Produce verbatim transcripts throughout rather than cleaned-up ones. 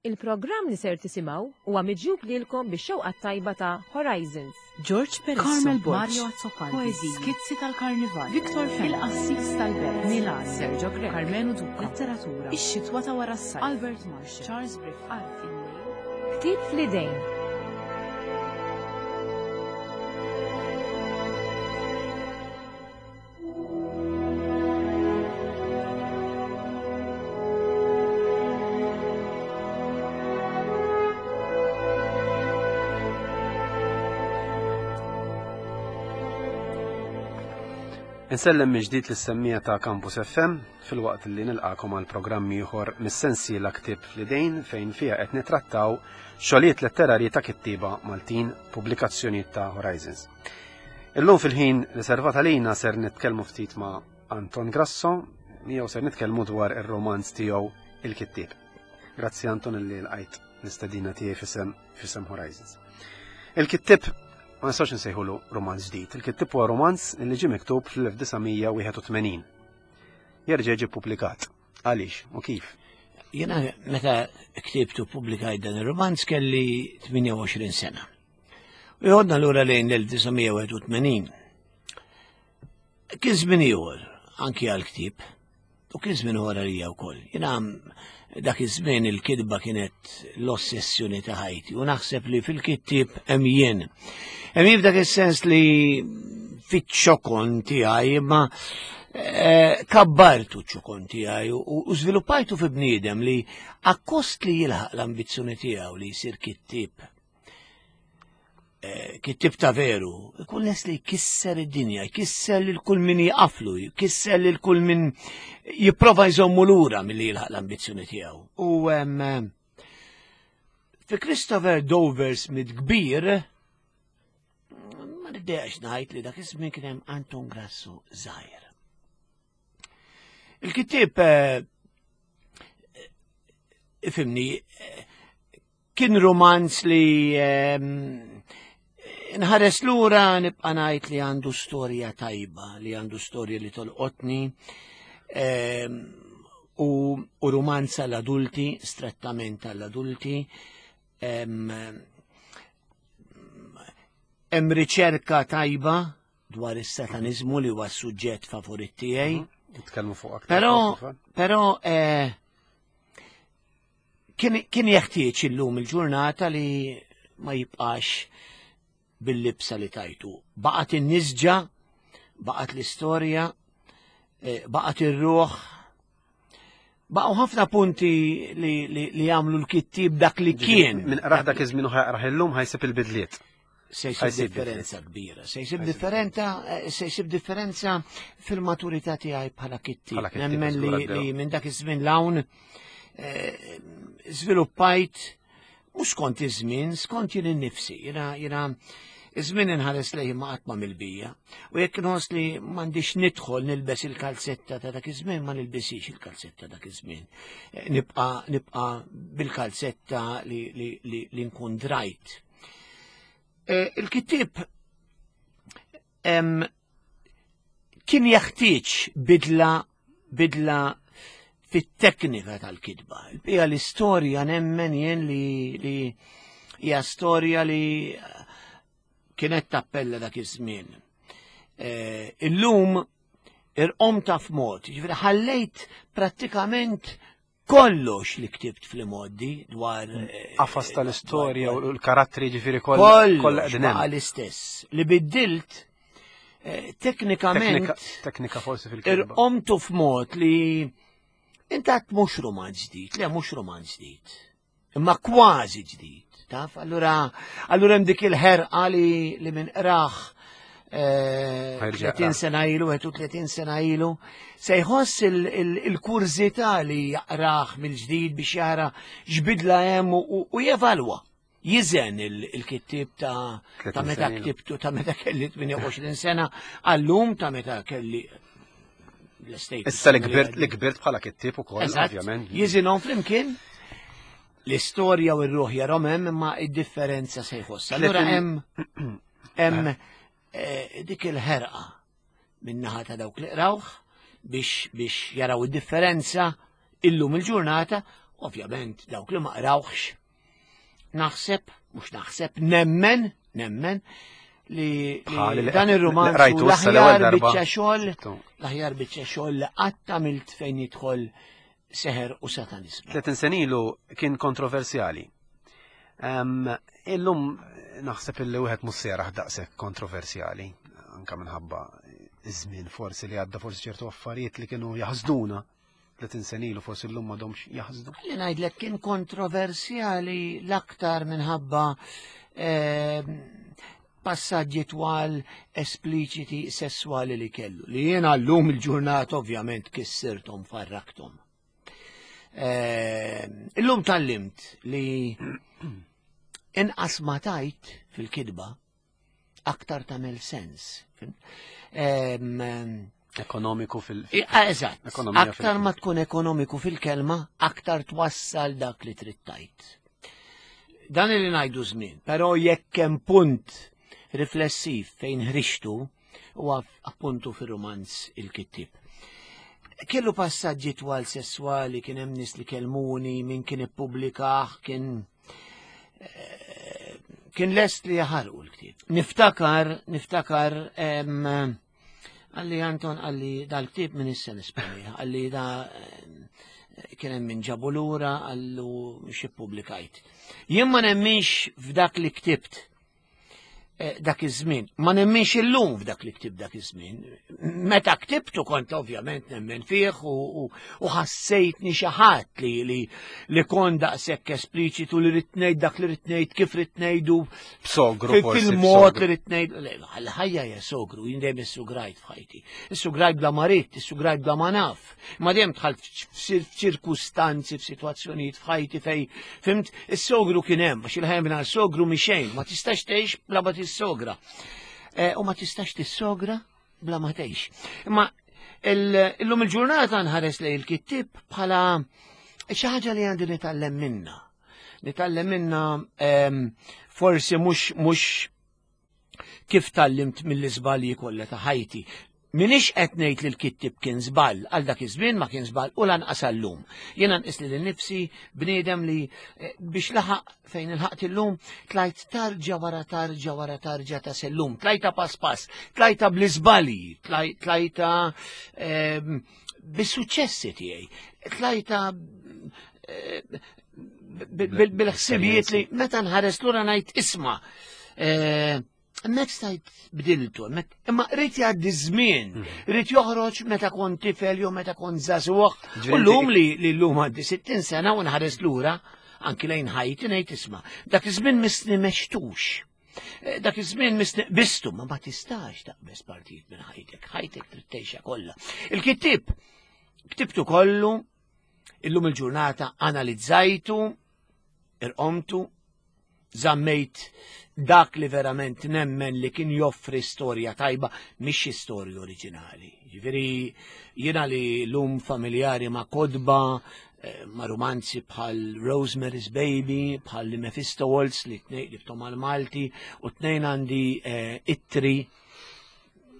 Il-programm li ser tisimgħu huwa miġjub lilkom bix-xewqa tajba ta' Horizons. George Peresso, Carmel Borg, Mario Azzopardi, Poeziji, Skizzi tal-Karnival, Victor Fenech, Il-Qassis tal-Belt, Milan, Sergio Grech, Carmenu Duca, Letteratura, Ix-xitwa ta' wara s-sajf, Albert Marshall, Charles Briff, Art il-Lejl, Ktieb fl-idejn. Insellem mill-ġdid lis-semmija ta' Campus F M fil-waqt li nilqakom għal programm ieħor mis-sensiela Ktieb fl-idejn fejn fiha qed nitrattaw xogħlijiet letterarji ta' kittieba Maltin, pubblikazzjonijiet ta' Horizons. Illum fil-ħin riservat għalina ser nitkellmu ftit ma' Anton Grasso, miegħu ser nitkellmu dwar ir-romanz tiegħu Il-Kittieb. Grazzi Anton li lqajt l-istedina tiegħi fisem, fisem Horizons. Il-Kittieb ma nistax nsejħulu romanz ġdid. Il-Kittieb huwa romanz li ġie miktub fl-elf disa' mija wieħed u tmenin. Jerġa' ġie ppubblikat. Għaliex u kif? Jiena meta ktibtu ppubblikajt dan ir-romanz kelli tmienja u għoxrin sena. U jħodna lura lejn l-elf disa' mija wieħed u tmenin. Kien żmien ieħor anki għall-ktieb u kien żmien ieħor għalija wkoll. Jiena dak iż-żmien il-kitba kienet l-ossessjoni ta' ħajti u naħseb li fil-kittieb hemm jien. Hemm jien f'dak is-sens li fiċ-ċokon tiegħi imma, eh, kabbartu ċ-ċokon tiegħi u, u żviluppajtu fi bniedem li akkost li jilħaq l-ambizzjoni tiegħu li jsir kittieb. Eh, kittieb ta' veru, ikun les li jkisser id-dinja, jkisser lil kull min jaqaflu, jkisser lil kull min jipprova jżommu lura milli jilħaq l-ambizzjoni tiegħu. U, em, fi Christopher Dover Smith kbir, ma niddejaqx ngħid li dak iż-żmien kien hemm Anton Grasso żgħir. Il-kittieb, eh, ifhimni, eh, kien romanz li, ehm, nħares lura nibqa' ngħid li għandu storja tajba, li għandu storja li tolqotni, ehm, u, u romanz għall-adulti, strettament għall-adulti. Ehm, hemm riċerka tajba dwar is-sataniżmu li huwa s-suġġett favorit tiegħi. Mhm. Nitkellmu fuq aktar Però, fuq il-fatt. però, eh, kien, kien jeħtieġ illum il-ġurnata li ma jibqax bil-libsa li tajtu. Baqgħet in-nisġa, baqgħet l-istorja, eh, baqgħet ir-ruħ. Baqgħu ħafna punti li, li, li jagħmlu l-kittieb dak li Ġifieri, kien. Min qrah dak iż-żmien u ħajqrah illum ħajsib il-bidliet. Se jsib Ħajsib differenza bidliet. kbira, se jsib Ħajsib differenza, eh, se jsib differenza fil-maturità tiegħi bħala kittieb. Bħala kittieb, Nemmen li, żgur għaddew. li minn dak iż-żmien l-hawn, eh, żviluppajt mhux skont iż-żmien, skont jien innifsi. Jiena, jiena iż-żmien inħares lejn ma qatt ma mill-bija. U jekk inħoss li m'għandix nidħol nilbes il-kalzetta ta' dak iż-żmien, ma nilbisix il-kalzetta dak iż-żmien. Eh, nibqa', nibqa' bil-kalzetta li, li, li, li nkun drajt. Eh, il-kittieb, em, kien jeħtieġ bidla, bidla fit-teknika tal-kitba. Il-bija l-istorja nemmen jien li, li hija storja li kienet tappella dak iż-żmien. Eh, illum irqom ta' f'mod, jiġifieri ħallejt prattikament kollox li ktibt fl-imgħoddi dwar, eh, Qafas tal-istorja dwar u l-karattri ġifieri kollha kollox kollha qegħdin hemm. baqa' l-istess. Li biddilt, eh, teknikament Teknika, teknika forsi fil-kitba. irqomtu f'mod li intat mhux romanz ġdid, le mhux romanz ġdid, imma kważi ġdid, taf? Allura, allura hemm dik il-ħerqa li, li minn qrah, eh, Ħajrġa' tletin jaqrah. sena ilu, wieħed u tletin sena ilu, se jħoss il-, il-, il-kurżità li jaqrah mill-ġdid biex jara x'bidla hemm u, u, u jevalwa. Jiżen il-, il-kittieb ta', ta' Tletin meta sena ilu. ktibtu, ta' meta kelli tmienja u għoxrin sena, għallum ta' meta kelli l-estate. Issa li kbirt, li kbirt bħala kittieb ukoll, Eżatt. ovvjament. Jiżinhom flimkien l-istorja u r-ruħ jarhom hemm, imma id-differenza se jħoss. Allura Tletin- hemm, hemm, eh, dik il-ħerqa min-naħa ta' dawk li qrawh biex, biex jaraw id-differenza illum il-ġurnata Ovvjament dawk li ma qrawhx naħseb, mhux naħseb, nemmen, nemmen li, Bħali li li dan ir-rumanz li qrajtu hu issa l-ewwel l-aħjar darba. biċċa xogħol, Sibtu. l-aħjar biċċa xogħol li qatt għamilt fejn jidħol seħer u satanizmu. tletin sena ilu kien kontroversjali. Em, Illum naħseb illi wieħed mhux se jarah daqshekk kontroversjali, anka minħabba iż-żmien forsi li għadda, forsi ċertu affarijiet li kienu jaħsduna tletin sena ilu forsi llum m'għadhomx jaħsdu. Li ngħidlek kien kontroversjali l-aktar minħabba eh, passaġġi twal espliċiti sessuali li kellu. Li jiena llum il-ġurnata ovvjament kissirthom, farrakthom. Eh, Illum tgħallimt li inqas ma tajt fil-kidba aktar tagħmel sens. Em, Ekonomiku fil- I- Eżatt, Ekonomija aktar fil- ma tkun ekonomiku fil-kelma, aktar twassal dak li trid tajt. Dan li ngħidu żmien, però jekk hemm punt riflessiv fejn ħriġtu huwa appuntu fir-romanz Il-Kittib. Kellu passaġġi twal sessuali, kien hemm nies li kelmuni, min kien ippubblikah, kien eh, kien lest li jaħarqu l-ktieb. Niftakar, niftakar, em, qalli Anton, qalli dal-ktieb minn issa nisponija, qalli da em, kien hemm min ġabu lura, qallu xi pubblikajt. Jien ma nemminx f'dak li ktibt eh, dak iż-żmien. Ma nemminx illum f'dak li ktibt dak iż-żmien. Meta ktibtu kont ovvjament nemmen fih u, u, u ħassejtni xi ħadd li, li, li kont daqshekk espliċitu li ridt ngħid dak li ridt ngħid, kif ridt ngħidu, B'sogru fil- forsi. fil-mod B'sogru. li ridt ngħid. Le, l-ħajja hija sogru, jien dejjem issugrajt f'ħajti. Issugrajt bla ma ridt, issugrajt bla ma naf. Ma dejjem dħalt f'ċirkustanzi, f'sitwazzjonijiet f'ħajti fej, fhimt, is-sogru kien hemm, għax il-ħajja mingħajr sogru mhi xejn, ma tistax tgħix bla ma tissogra. Eh, U ma tistax tissogra bla ma tgħix. Imma il- illum il-ġurnata nħares lejn il-kittib bħala xi ħaġa li għandi nitgħallem minna. Nitgħallem minna em, forsi mhux mhux kif tgħallimt mill-iżbalji kollha ta' ħajti. Minix qed ngħid li l-kittib kien żball, għal dak iż-żmien ma kien żball u lanqas għallum. Jiena nqis li nnifsi bniedem li eh, biex laħaq fejn ilħaqt illum tlajt tarġa wara tarġa wara tarġa ta' sellum, tlajta pass pass, tlajta bl-iżbalji, tlaj- tlajta ehm, bis-suċċessi tiegħi, tlajta eh, bil- bil- bil-ħsibijiet li meta nħares lura ngħid isma' eh, hemmhekk stajt bdiltu, hemmhekk imma rrid jgħaddi żmien, rrid joħroġ meta kont tifel jew meta kont żagħżugħ. Ġifieri U llum inti- li li llum għandi sittin sena u nħares lura anki lejn ħajti ngħid isma' dak iż-żmien missni m'għextux. Eh, Dak iż-żmien missni qbiżtu, ma ma tistax taqbeż partijiet minn ħajtek, ħajtek trid tgħixha kollha. Il-kittib ktibtu kollu, illum il-ġurnata analizzajtu, irqomtu, żammejt dak li verament nemmen li kien joffri storja tajba, mhix storja oriġinali. Ġifieri jiena li llum familjari ma' kotba, eh, ma' romanzi bħal Rosemary's Baby, bħal Mephisto Waltz li tnejn li ftom Malti u tnejn għandi eh, ittri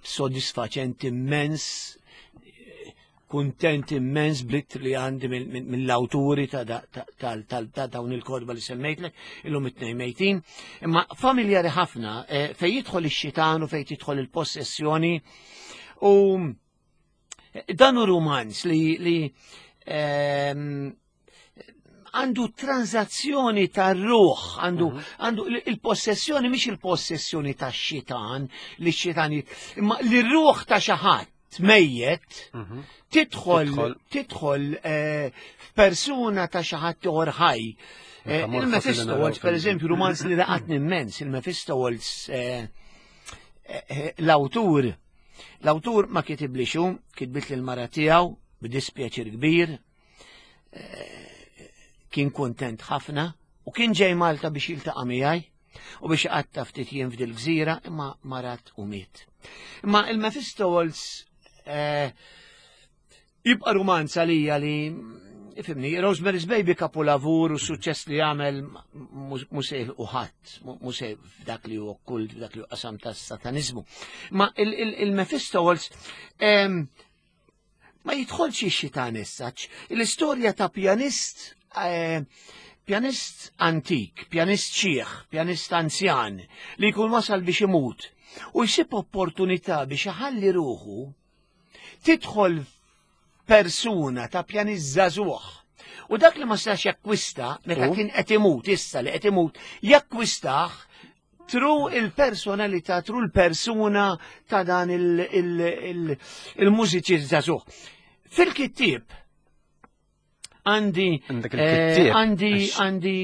sodisfaċenti immens, eh, kuntent immens bl-ittri li għandi mill-awturi ta' da- ta' ta' ta' ta' dawn il-kotba li semmejtlek, illum it-tnejn mejtin. Imma familjari ħafna eh, fej jidħol ix-xitan u fej tidħol il-possessjoni u dan hu romanz li, li ehm, għandu transazzjoni tar-ruħ, għandu għandu il-possessjoni mhix il-possessjoni tax-xitan li x-xitan jit- imma li r-ruħ ta' xi ħadd mejjet Mhm. tidħol Tidħol. tidħol eh, f'persuna ta' xi ħadd ieħor ħaj. Eh, Metamorfosi li Il-Mephisto naraw Waltz, per fil- eżempju, romanz li laqatni immens, il-Mephisto Waltz, eh, eh, l-awtur, l-awtur ma kitiblix hu, kitbit l-mara tiegħu b'dispjaċir kbir, eh, kien kontent ħafna u kien ġej Malta biex jiltaqa' miegħi u biex iqatta' ftit jiem f'dil gżira imma marat u miet. Imma il-Mephisto Waltz eh, jibqa' romanz għalija li ifhimni, Rosemary's Baby kapulavur u suċċess li għamel mhux se u ħadd, mhux se f'dak li hu okkult, f'dak li hu qasam tas-satanizmu. Ma il-Mephisto Waltz em, ma jidħolx ix-xitan essaċ. L-istorja ta' pjanist eh, pjanist antik, pjanist xiħ, pjanist anzjan, li jkun wasal biex imut u jsib opportunità biex iħalli ruħu tidħol persuna ta' pjanist żagħżugħ. U dak li ma setax jakkwista meta U? kien qed imut, issa li qed imut, jakkwistah through il-personalità, through il-persuna ta' dan il-mużiċist żagħżugħ. Fil-kittieb għandi Għandek eh, il-kittieb. għandi Għax- għandi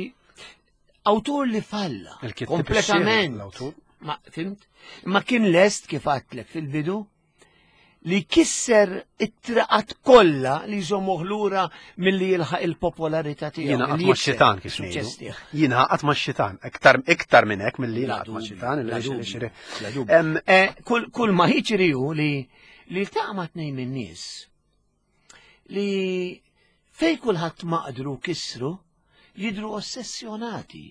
awtur li falla Il-kittieb kompletament. ix-xieraq, l-awtur. Ma fimt? Ma kien lest kif għedtlek fil-bidu li kisser it-traqat kollha li jżommuh lura milli jilħaq il-popolarità tiegħu. Jiena qatt milli ma jikseb xitan kif is-suċċess ngħidu. tiegħu. Jiena qatt ma xitan, iktar iktar minn hekk milli Bla jiena qatt ma dubju, xitan, bla illi dubju, xiri. bla dubju. Em, Eh, Kull kull ma jiġri hu li li ltaqa' ma' tnejn min-nies li fej kulħadd maqdru kisru jidru ossessjonati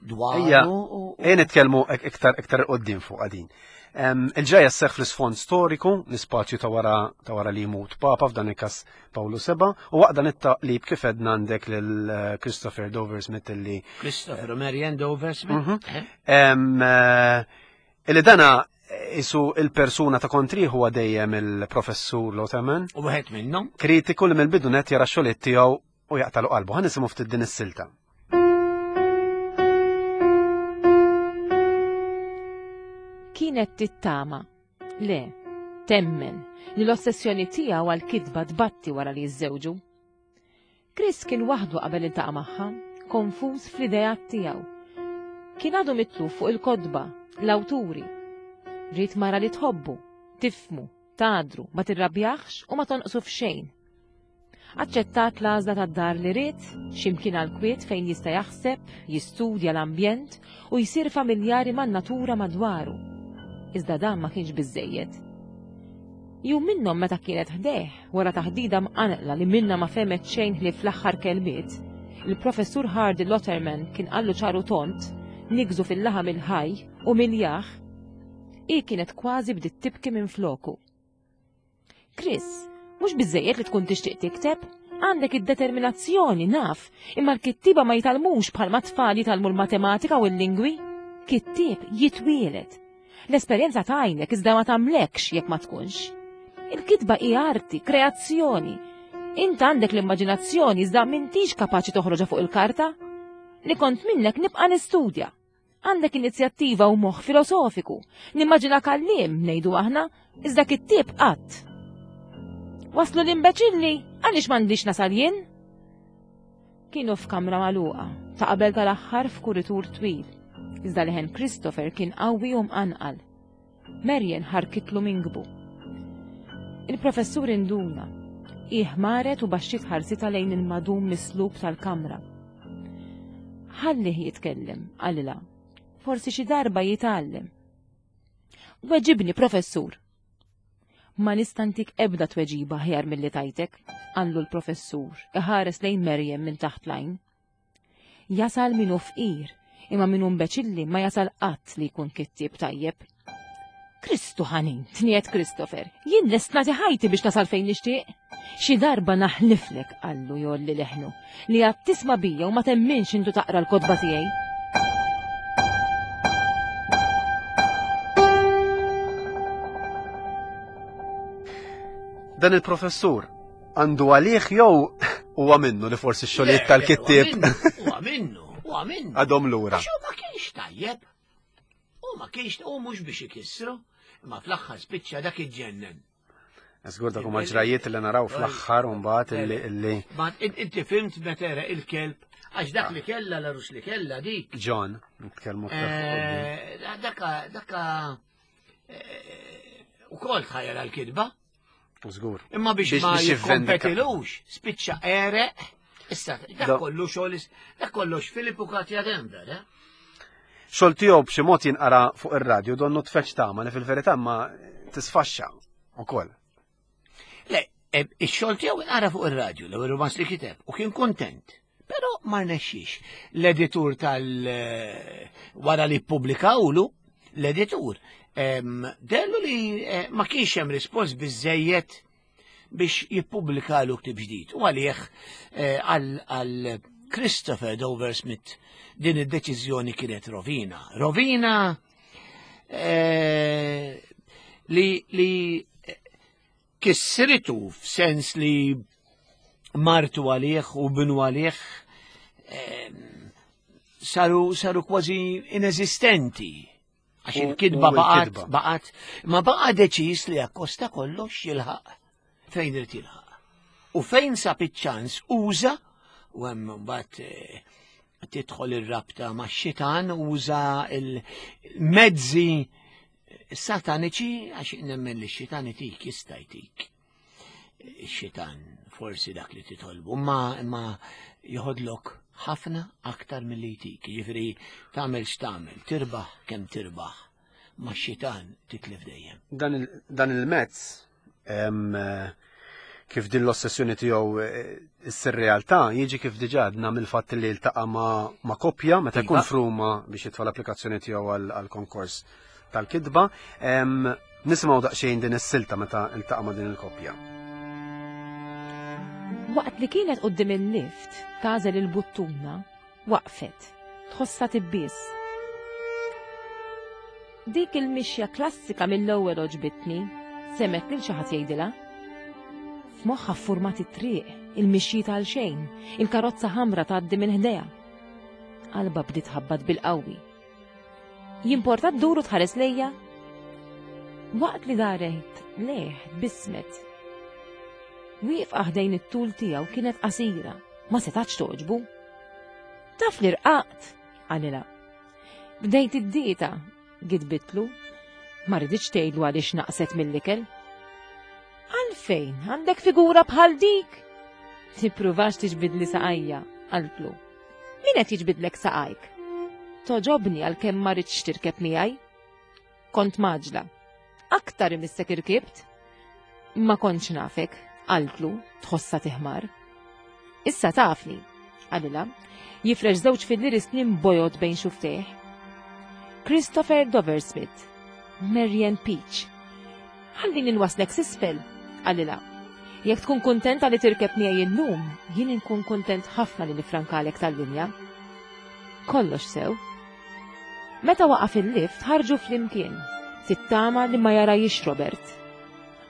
Ejja, dwaru u- u Ejja nitkellmu ik- iktar iktar qoddim fuq għadin. Em, Il-ġajja sseħħ fl-isfond storiku, l-ispazju ta' wara ta' wara li jmut Papa f'dan il-każ Pawlu Seba, u waqt dan it-taqlib kif edna għandek lil eh, Christopher Dover Smith illi Christopher Marian Dover Smith. Mhm. Eh? Em, eh, illi dana isu il-persuna ta' kontrih huwa dejjem il-professur Lotaman, U wieħed minnhom kritiku li mill-bidu net jara x-xogħlijiet tiegħu u jaqtalu qalbu. Ħa nisimgħu ftit din is-silta. Kienet tittama, le, temmen, li l-ossessjoni tiegħu għal-kitba tbatti wara li jiżżewġu. Chris kien waħdu qabel iltaqa' magħha, konfuż fl-ideat tiegħu. Kien għadu mitluf fuq il-kotba, l-awturi. Ried mara li tħobbu, tifmu, tadru, ma tirrabjaħx u ma tonqsu f'xejn. Aċċettat l-għażla tad-dar li ried, x'imkien għal-kwiet fejn jista' jaħseb, jistudja l-ambjent u jsir familjari man-natura madwaru. Iżda dan ma kienx biżejjed. Jum minnhom meta kienet ħdejh wara taħdida mqanqla li minna ma femet xejn li fl-aħħar kelmiet, il-professur Hardy Lotterman kien qallu ċaru tont, nigżu fil-laħam il-ħaj u miljaħ, i kienet kważi bdiet tibki minn floku. Chris, mhux biżejjed li tkun tixtieq tikteb, għandek id-determinazzjoni naf, imma l-kittiba ma jitgħallmux bħalma tfal jitgħallmu l-matematika u l-lingwi. Kittieb jitwielet. L-esperjenza tajnek iżda ma tagħmlekx jekk ma tkunx. Il-kitba hi arti, kreazzjoni. Int għandek l-immaġinazzjoni iżda m'intix kapaċi toħroġha fuq il-karta. Li kont minnek nibqa' nistudja. Għandek inizjattiva u moħħ filosofiku. Nimmaġina kallim, ngħidu aħna, iżda kittieb qatt. Waslu l-imbeċilli, għaliex m'għandix nasal jien? Kienu f'kamra magħluqa, ta' qabel tal-aħħar f'kuritur twil. Iżda leħen Christopher kien qawwi u mqanqal. Marian ħarkitlu minkbu. Il-professur induna. Iħmaret u baxxiet ħarsita lejn il-madum mislub tal-kamra. Ħallih jitkellem, qalilha. Forsi xi darba jitgħallem. Weġibni, professur. Ma nista' ntik ebda tweġiba aħjar milli tajtek, qallu l-professur, iħares lejn Merjem minn taħt lajn. Jasal minu fqir, imma minu mbeċilli ma jasal qatt li jkun kittieb tajjeb. Kristu ħanin, tniet Christopher, jien lest nagħti ħajti biex tasal fejn nixtieq. Xi darba naħliflek, qallu jgħolli leħnu, li għad tisma' bija u ma temminx intu taqra l-kotba tiegħi. Dan il-professur għandu għalih jew huwa minnu li forsi x-xogħlijiet tal-kittieb Huwa minnu, huwa minnu. għadhom lura. Għax hu ma kienx tajjeb. U ma kienx u mhux biex ikissru, imma fl-aħħar spiċċa dak iġġennen. Żgur dak huma ġrajiet li naraw fl-aħħar u mbagħad illi illi Ma in- inti fimt meta era il-kelb, għax dak li kella l-arus li kella dik. John nitkellmu aktar fuq quddiem. Eh, Daka, daka, eh, u kol tħajjel għal-kidba. Żgur. Imma biex Biex- ma biex jivvendika. jikkompetilux, spiċċa ereq. Issa, dak Da- kollu xogħol, dak kollox Filip u Katja Denver, eh? Xogħol tiegħu b'xi mod jinqara fuq ir-radju donnu tfeċ tama li fil-verità ma tisfaxxa ukoll. Le, e, ix-xogħol tiegħu inqara fuq ir-radju l-ewwel romanz li kiteb u kien kontent. Però ma rnexxix. L-editur tal eh, wara li ppubblikawlu, l-editur em, dellu li eh, ma kienx hemm rispons biżejjed biex jippubblikalu ktib ġdid. U għalih eh, għal għal Christopher Dover Smith din id-deċiżjoni kienet rovina. Rovina eh, li, li kissritu f'sens li martu għalih u binu għalih eh, saru, saru kważi inesistenti. Għax il-kidba baqat, baqat, ma baqa deċis li akkosta kollox jilħaq fejn irid jilħaq. U fejn sab iċ-ċans uża, u hemm mbagħad eh, tidħol ir-rabta max-xitan, uża il-mezzi sataniċi, għax nemmen li x-xitan itik jista' jtik. Ix-xitan forsi dak li titolbu, ma imma joħodlok ħafna aktar milli jtik. Jiġifieri tagħmel x'tagħmel, tirbaħ kemm tirbaħ, ma x-xitan titlef dejjem. Dan il-mezz kif din l-ossessjoni tiegħu issir realtà jiġi kif diġà għadna mill-fatt li ltaqa' ma' koppja meta jkun f'Ruma biex jitfa' l-applikazzjoni tiegħu għall-konkors tal-kitba. Nisimgħu daqsxejn din is-silta meta ltaqa' ma' din il-koppja. Waqt li kienet quddiem il-lift tażel il-buttuna, waqfet, tħossha tibbies. Dik il-mixja klassika mill-ewwel oġbitni, semet lil xi ħadd jgħidilha. F'moħħha ffurmat it-triq, il-mixji tal xejn, il-karozza ħamra tgħaddi minn ħdejha. Qalba bdiet ħabbat bil-qawwi. Jimporta ddur u tħares lejja? Waqt li daret lejh bismet. Wieqfa ħdejn it-tul tiegħu kienet qasira, ma setax toġbu. Taf li rqaqt, qalilha. Bdejt id-dieta, gidbitlu, ma riditx tgħidlu għaliex naqset mill-ikel. Għalfejn għandek figura bħal dik? Tippruvax tiġbidli saqajja, qaltlu. Min qed jiġbidlek saqajk? Toġobni għalkemm ma ridx tirkeb miegħi. Kont maġla. Aktar imissek irkibt. Ma kontx nafek, qaltlu, tħossa tiħmar. Issa tafni, qalilha, jifrex żewġ fil-liri snin bojod bejn xuftejh. Christopher Dover Smith, Marian Peach. Ħallini nwaslek s'isfel, qalilha. Jekk tkun kuntenta li tirkeb miegħi illum, jien inkun kuntent ħafna li nifrankalek tal-linja. Kollox sew. Meta waqaf il-lift ħarġu flimkien, tittama li ma jarajix Robert.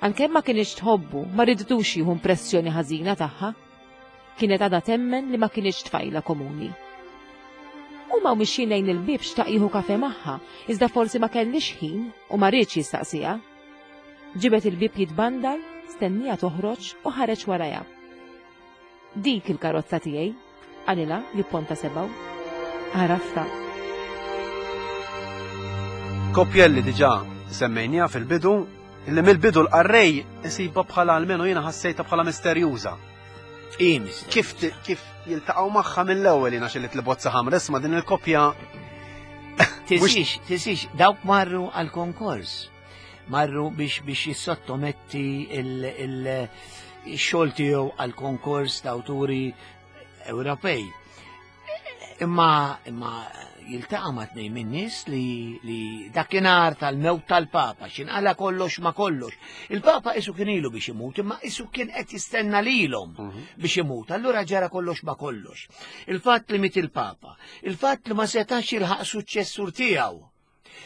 Għalkemm ma kienx tħobbu, ma riditux jieħu impressjoni ħażina tagħha. Kienet għadha temmen li ma kienx tfajla komuni. Huma mixjin lejn il-bieb xtaq jieħu kafe magħha, iżda forsi ma kellix ħin u ma riedx jistaqsiha. Ġibet il-bieb jitbandal, stennija toħroġ u ħareġ warajha. Dik il-karozza tiegħi, qalilha jipponta sebgħu. Għarafta. Koppja li diġà semmejniha fil-bidu, illi mill-bidu l-qarrej isibha bħala almenu jiena ħassejta bħala misterjuża. Kif kif jiltaqgħu magħha mill-ewwel jiena xi li bozza ħamra isma' din il-koppja. Tisix, tisix, dawk marru għal-konkors. Marru biex biex jissottometti il-xogħol tiegħu għal-konkors ta' awturi Ewropej. Imma imma jiltaqa' ma' tnejn minn nies li li dakinhar tal-mewt tal-Papa x'inqala kollox ma kollox. Il-Papa isu kien ilu biex imut, imma isu kien qed jistenna lilhom biex imut. Allura ġara kollox ma kollox. Il-fatt li miet il-Papa, il-fatt li ma setax jilħaq suċċessur tiegħu.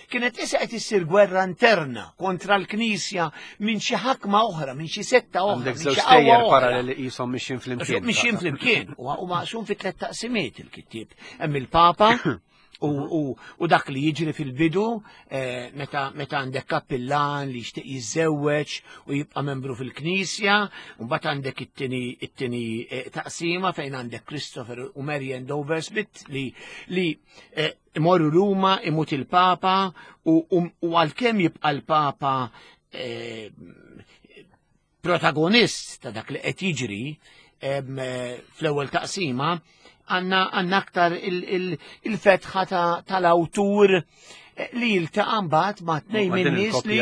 Kienet issa qed issir gwerra interna kontra l-Knisja minn xi ħakma oħra, minn xi setta oħra. Għandek żewġ stejjer paralleli qishom mixjin flimkien. Mixjin flimkien, u maqsum fi tliet taqsimiet il-kittieb. Hemm il-Papa u dak li jiġri fil-bidu meta għandek kappillan li jixtieq jiżżewweġ u jibqa' membru fil-Knisja, u mbagħad għandek it-tieni taqsima fejn għandek Christopher u Marian Dover Smith li li imorru Ruma, imut il-Papa, u għalkemm jibqa' l-Papa protagonist ta' dak li qed jiġri fl-ewwel taqsima, għandna aktar il-fetħa tal-awtur li jiltaqa' mbagħad ma' tnejn min-nies li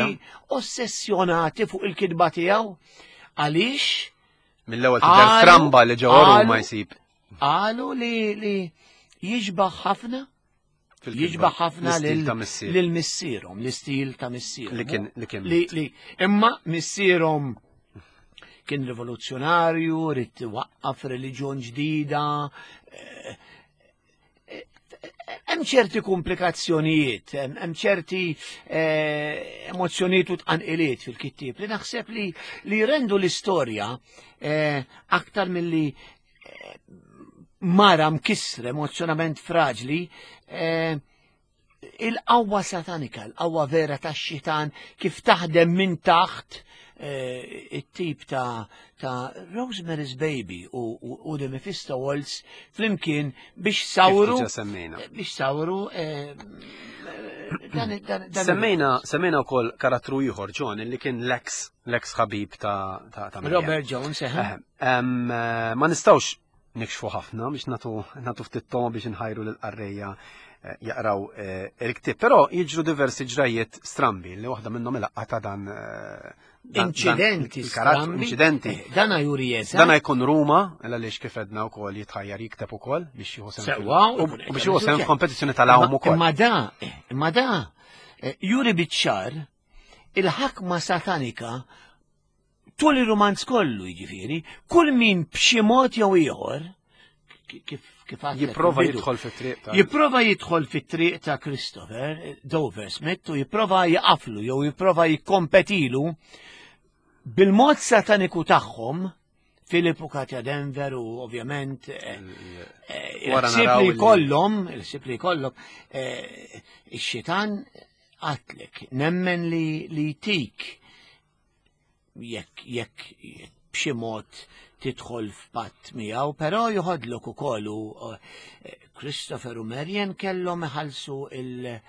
ossessjonati fuq il-kitba tiegħu. Għaliex? Mill-ewwel tidher stramba li ġewwa Ruma jsib. Qalu li jiġbaħ ħafna jiġbaħ ħafna lil missierhom, l-istil ta' missierhom. Li kien li kien. Li imma missierhom kien rivoluzzjonarju, ried waqqaf reliġjon ġdida. Eh, eh, hemm ċerti komplikazzjonijiet, hemm ċerti eh, emozzjonijiet u tqanqiliet fil-kittieb li naħseb li li rendu l-istorja aktar milli mara mkissra emozjonament fraġli, il-qawwa satanika, il-qawwa vera tax-xitan kif taħdem minn taħt it-tip ta' ta' Rosemary's Baby u, u, u The Mephisto Waltz flimkien biex sawru biex sawru dan, dan, dan Semmejna semmejna wkoll karattru ieħor John li kien l-ex l-ex ħabib ta' ta', ta Robert Jones, eh. Ma nistgħux nikxfu ħafna biex natu natu ftit toma biex nħajru lill-qarrejja jaqraw il-ktieb, però jiġru diversi ġrajiet strambi li waħda minnhom il-laqgħa ta' dan inċidenti strambi. Inċidenti. Dana juri jeżatt. Dana jkun Ruma, għaliex kif edna wkoll jitħajjar jikteb ukoll biex jieħu sehem. Sewwa, u biex jieħu sehem f'kompetizzjoni tal-għawm ukoll. Imma da, imma da, juri biċ-ċar il-ħakma satanika tul ir-romanz kollu jiġifieri, kull min b'xi mod jew ieħor kif kif jipprova jidħol fit-triq ta' jipprova jidħol fit-triq ta' Christopher Dover Smith u jipprova jaqaflu jew jipprova jikkompetilu bil-mod sataniku tagħhom Philip u Katja Denver u ovvjament il-ħsieb li jkollhom, il-ħsieb li jkollhom, ix-xitan qatlek, nemmen li li tik jekk jekk b'xi mod tidħol f'patt miegħu, però joħodlok ukoll u Christopher u Marian kellhom iħallsu il-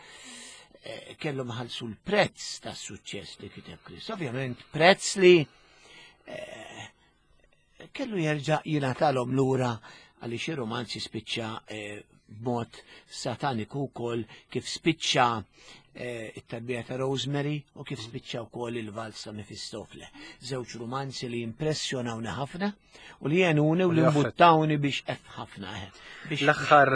kellhom iħallsu l-prezz tas-suċċess li kiteb Chris. Ovvjament prezz li kellu jerġa' jingħatalhom lura għaliex ir-romanzi spiċċa b'mod sataniku wkoll kif spiċċa it-tarbija ta' Rosemary u kif spiċċa wkoll il-valz ta' Mefistofle. Żewġ romanzi li impressjonawni ħafna u li għenuni u li mbuttawni biex ef ħafna. L-aħħar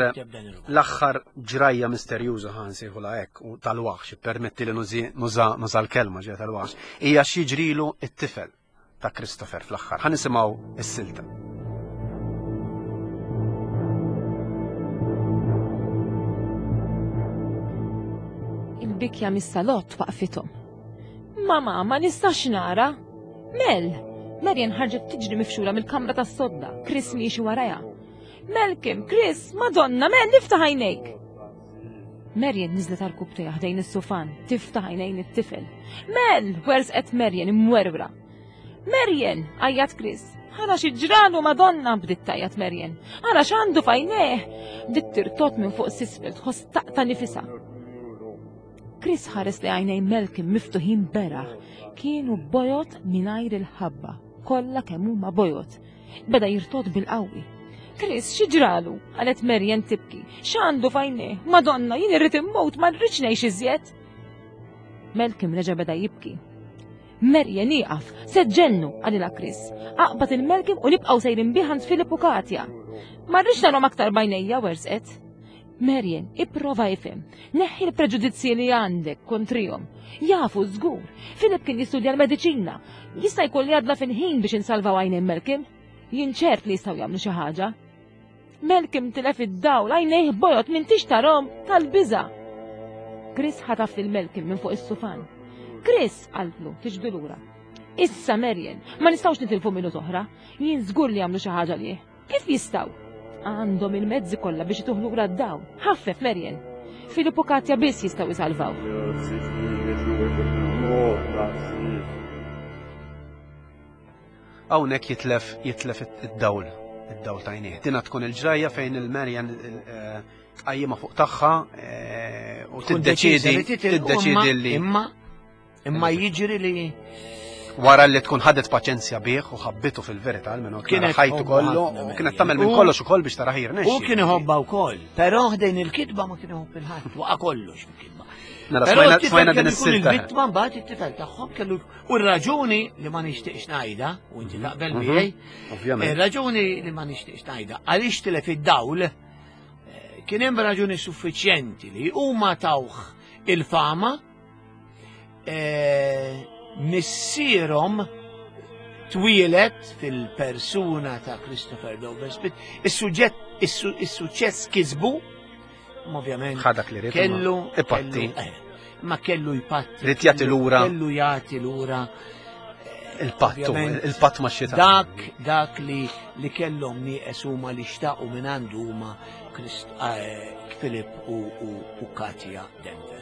l-aħħar ġrajja misterjuża ħa nsejħulha hekk u tal-waħx, permetti li nuża nuża l-kelma ġejja tal-waħx, hija x'jiġrilu it-tifel ta' Christopher fl-aħħar. Ħa nisimgħu is-silta. Il-bikja mis-salott waqfithom. Mama, ma nistax nara. Mel! Marian ħarġet tiġri mifxula mill-kamra tas-sodda. Chris miexi warajha. Malcolm, Chris, Madonna, Mel, iftaħ għajnejk! Marian niżlet għal ħdejn is-sufan, tiftaħ għajnejn it-tifel. Mel! Werżqet Marian imwerwra. Marian! Għajjat Chris. Ara x'ġralu Madonna, bdiet tgħajjat Marian. Ara x'għandu f'għajnejh! Bdiet tirtot minn fuq s'isfel, tħoss taqta' nifisha. Chris ħares li għajnejn Malcolm miftuħin beraħ. Kienu bojod mingħajr il-ħabba, kollha kemm huma bojod. Beda jirtot bil-qawwi. Chris, x'ġralu? Qalet Marian tibki. X'għandu f'għajnejh? Madonna, jien irrid immut, ma rridx ngħix iżjed. Malcolm reġa' beda jibki. Marian ieqaf, se ġennu, qalilha Chris. Aqbad il-Malcolm u nibqgħu sejrin bih għand Philip u Katja. Ma rridx narhom aktar b'għajnejja, werżqet. Marian, ipprova ifhem. Neħħi l-preġudizzji li għandek kontrihom. Jafu żgur. Philip kien jistudja l-mediċina. Jista' jkun li għadna fil-ħin biex insalvaw għajnejn Malcolm. Jien ċert li jistgħu jagħmlu xi ħaġa. Malcolm tilef id-dawl, għajnejh bojod m'intix tarahom tal-biża'. Chris ħataf lil Malcolm minn fuq is-sufan. Chris, qaltlu, tiġbdu lura. Issa Marian, ma nistgħux nitilfu minut oħra. Jien żgur li jagħmlu xi ħaġa lih. Kif jistgħu? Għandhom il-mezzi kollha biex ituh lura d-dawl. Ħaffef Marian. Philip u Katja biss jistgħu jsalvaw. Hawnhekk jitlef jitlef id-dawl, id-dawl ta' għajnejh. Dina tkun il-ġrajja fejn il-Marian tqajjimha fuq tagħha u tiddeċiedi tiddeċiedi li imma imma jiġri li wara li tkun ħadet paċenzja bih u ħabbitu fil-verità, almenu kienet ħajtu kollu, u kienet tagħmel minn kollox ukoll biex tara jirnexxi. U kien iħobbha wkoll, però ħdejn il-kitba ma kien iħobb il-ħadd, waqa' kollox fil-kitba. Mela smajna din is-silta. Il-vittma mbagħad it-tifel tagħhom kellu u r-raġuni li ma nixtieqx ngħidha, u inti taqbel miegħi. Ovvjament. Ir-raġuni li ma nixtieqx ngħidha għaliex tilef id-dawl kien hemm raġuni suffiċjenti li huma tawh il-fama missierhom Twieled fil-persuna ta' Christopher Dover Smith, is-suġġett is-suċċess kisbu, ma ovvjament Ħadak li rrid. kellu Ipatti. kellu- eh, ma kellu jpatti. Ried jagħti kellu- lura. Kellu jagħti lura Il-pattu, ovvjament, il-patt ma' xitan. Dak dak li li kellhom nieqes huma li xtaqu minn għandu huma Christ- eh, Philip u, u, u Katja Denver.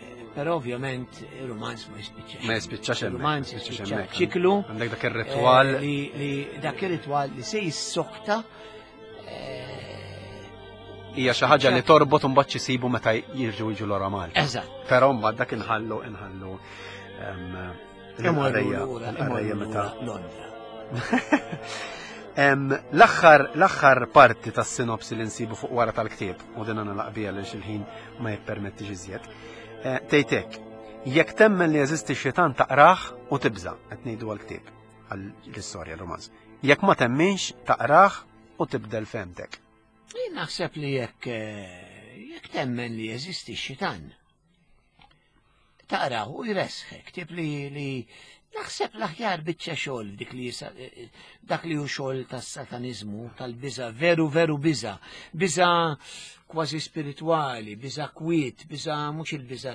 Eh, Però ovvjament il-romanz ma jispiċċax. Ma jispiċċax hemmhekk, Il-romanz ma jispiċċax jispiċċa hemmhekk. ċiklu. Għandek dak ir-ritwal. eh, li, li dak ir-ritwal li se jissokta eh, Hija xi ħaġa li torbot u mbagħad xisibu meta jirġu jiġu lura Malta. Eżatt. Però mbagħad dak inħallu inħallu em, Imorru l-qarrejja lura, l-qarrejja imorru meta lura Londra. Em, L-aħħar l-aħħar parti tas-sinopsi li nsibu fuq wara tal-ktieb u din nagħlaq biha għaliex il-ħin ma jippermettix iżjed. Eh, Tgħidlek, jekk temmen li jeżisti xitan taqrah u tibża' qed ngħidu għall-ktieb għall-istorja l-romanz. Jekk ma temminx taqrah u tibdel fehmtek. Jien naħseb li jekk eh, jekk temmen li jeżisti x-xitan. Taqraw u jresħek, tip li li naħseb l-aħjar biċċa xogħol dik li jisa- eh, dak li hu xogħol tas-sataniżmu, tal-biża, veru veru biża, biża kważi spiritwali, biża kwiet, biża mhux il-biża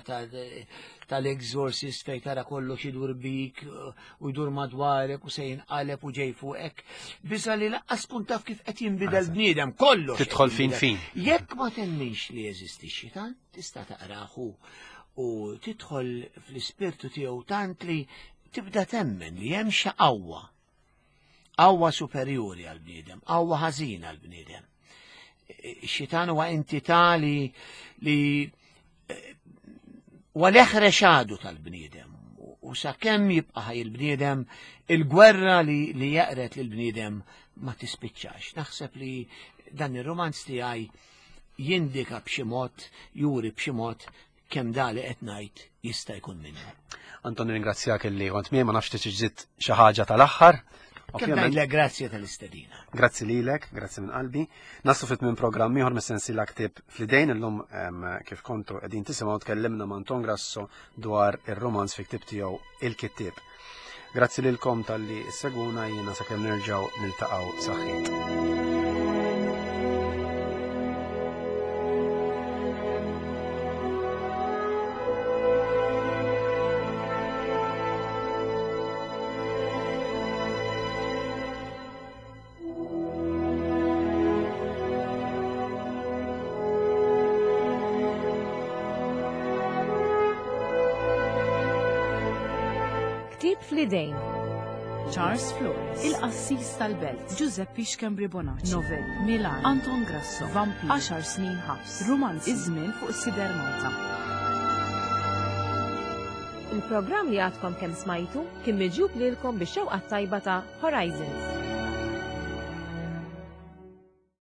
tal-exorcist fejn tara kollox idur bik eh, u jdur madwarek u se jinqaleb u ġej fuqek. Biża li laqqas tkun taf kif qed jinbidel bniedem kollox. qed Tidħol fin jinbidel. fin. Jekk ma temminx li jeżisti x-xitan, tista' taqrahu u tidħol fl-ispirtu tiegħu tant li tibda temmen li hemm xi qawwa. Qawwa superjuri għall-bniedem, qawwa ħażina għall-bniedem. Ix-xitan huwa entità li li eh, huwa l-eħrex għadu tal-bniedem. U sakemm jibqa' ħaj il-bniedem, il-gwerra li, li jaqret lill-bniedem ma tispiċċax. Naħseb li dan ir-romanz tiegħi jindika b'xi mod, juri b'xi mod kemm da li qed ngħid jista' jkun minnu. Anton ringrazzjak illi kont miegħi ma nafx tiġiet xi ħaġa tal-aħħar. Kemm Ovvjament, ngħidlek grazzi tal-istedina. Grazzi lilek, grazzi minn qalbi. Naslu fit minn programm ieħor mis-sensiela ktieb fl-idejn illum em, kif kontu qegħdin tisimgħu tkellimna ma' Anton Grasso dwar ir-romanz fi ktieb tiegħu Il-Kittieb. Grazzi lilkom talli seguna jiena sakemm nerġgħu niltaqgħu saħħit. Ktieb fl-idejn. Charles Flores, Il-Qassis tal-Belt, Giuseppe Schembri Bonacci, Novelli, Milan, Anton Grasso, Vampir, Għaxar snin ħabs, Romanzi, Iż-żmien fuq is-Sider Malta. Il-programm li għadkom kemm smajtu kien miġjub lilkom bix-xewqa tajba ta' Horizons.